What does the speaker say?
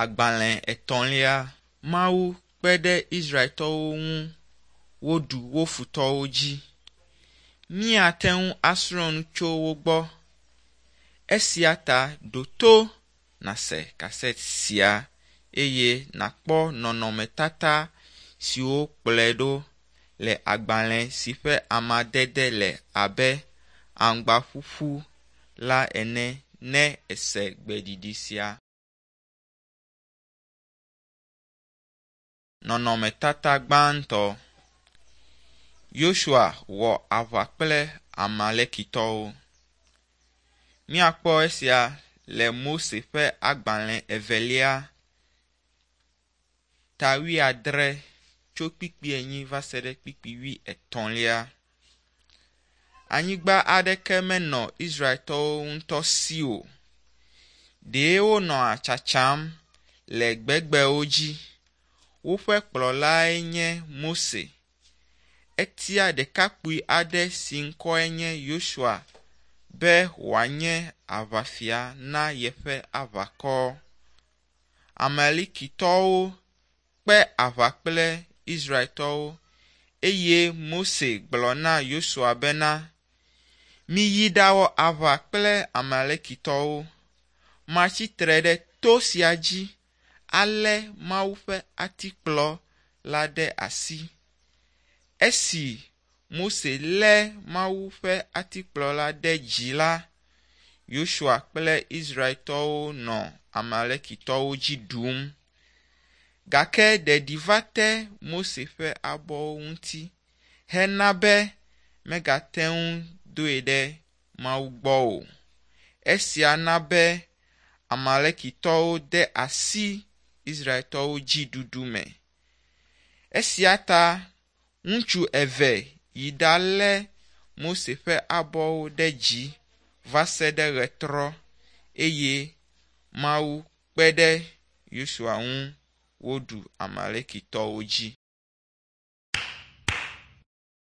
Agbalẽ etɔ̃lia. Mawu kpe ɖe Israeltɔwo ŋu woɖu wo futɔwo dzi. Míate ŋu asrɔ̃ nu tso wo gbɔ. Esia ta ɖo to nàse kasɛt sia eye nàkpɔ nɔnɔmetata siwo kplɔe ɖo le agbalẽ si ƒe amadede le abe aŋgbaƒuƒu la ene ne èse gbeɖiɖi sia. Nɔnɔmetata gbãtɔ. Yosua wɔ aʋa kple Amalekitɔwo. Míakpɔ esia le Mose ƒe agbalẽ evelia ta wuiadre tso kpikpi enyi va se ɖe kpikpi wuietɔ̃lia. Anyigba aɖeke menɔ Israeltɔwo ŋutɔ si o. Ɖee wonɔa tsatsam le gbegbewo dzi. Woƒe kplɔlae nye Mose. Etia ɖekakpui aɖe si ŋkɔe nye Yosua be wòanye aʋafia na yeƒe aʋakɔ. Amalekitɔwo kpe aʋa kple Israeltɔwo eye Mose gblɔ na Yosua bena, “Miyi ɖawɔ aʋa kple Amalekitɔwo. Matsi tre ɖe to sia dzi alé Mawu ƒe atikplɔ la ɖe asi.” Esi Mose lé Mawu ƒe atikplɔ la ɖe dzi la, Yosua kple Israeltɔwo nɔ Amalekitɔwo dzi ɖum. Gake ɖeɖi va te Mose ƒe abɔwo ŋuti hena be megate ŋu doe ɖe Mawu gbɔ o. Esia na be Amalekitɔwo de asi Israeltɔwo dzi ɖuɖu me. Esia ta ŋutsu eve yi ɖalé Mose ƒe abɔwo ɖe dzi va se ɖe ɣetrɔ eye Mawu kpe ɖe Yosua ŋu woɖu Amalekitɔwo dzi.